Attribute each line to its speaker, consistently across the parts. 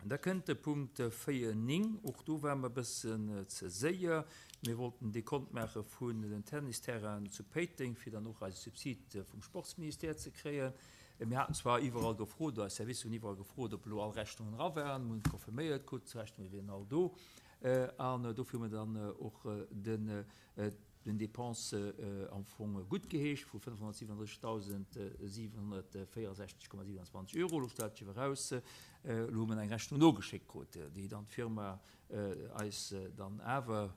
Speaker 1: Da kënnt de Punkt 4, 9. Och do ware mer e bëssen ze séier. Mir wollten Dekont maache vun den Tennisterrainen zu Péiteng, fir dann och eise Subsid vum Sportsministère ze kréien. Mir haten zwar iwwerall gefrot, oder eis Servicer hunn iwwerall gefrot, ob elo all Rechnungen era waren. Mir hunn et confirméiert krut, d'Rechnunge wieren all do. An dofir hu mir dann och den den Dépenses am Fong guttgeheescht vu 537.764,27 Euro. Elo stellt sech awer eraus, elo hu mer eng Rechnung nogeschéckt krut, déi dann d'Firma eis dann awer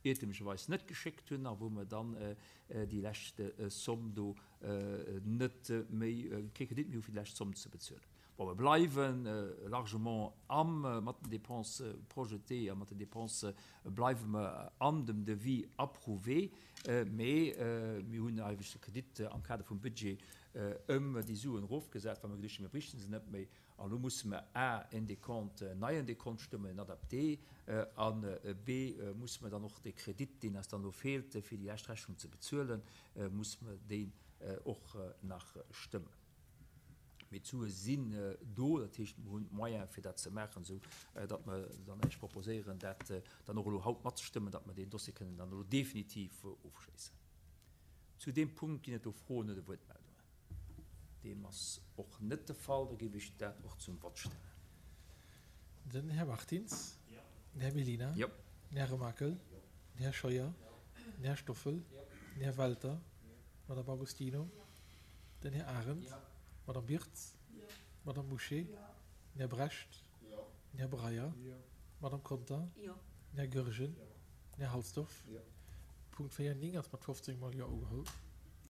Speaker 1: iertemlecherweis net geschéckt hunn a wou mer dann déi lescht Somm do net méi, kee Kredit méi hu fir déi lescht Somm ze bezuelen. Bon, mer bleiwe largement am, mat den Dépenses projetées a mat den Dépenses bleiwe mer an dem Devis approuvé, mee mir hunn eigentlech de Kredit am Kader vum Budget ëm déi Suen erofgesat, well mer geduecht hunn, mir bräichten se net méi. An elo musse mer a en Décompte, en neien Décompte stëmmen, en adapté, an b musse mer dann och de Kredit, deen eis dann elo feelt, fir déi lescht Rechnung ze bezuelen, musse mer deen och nach stëmmen. Mee d'Sue sinn do, dat heescht, mer hunn d'Moyene fir dat ze maachen, esou datt mer dann Iech proposéieren, dat dann och elo haut matzestëmmen, datt mer deen Dossier kënnen dann elo definitiv ofschléissen. Zu deem Punkt ginn et do Froen oder Wuertmeldungen? Deem ass och net de Fall. Da géif ech dat och zum Vott stellen.
Speaker 2: Den Här Martins. Den Här Mellina. Den Här Remakel. Den Här Scheuer. Den Här Stoffel. Den Här Welter. D'Madame Agostino. Den Här Arendt. D'Madame Birtz. D'Madame Bouché. Den Här Brecht. Den Här Breyer. D'Madame Conter. Den Här Goergen. Den Här Halsdorf. Punkt 4, 9 ass mat 15 mol Jo ugeholl.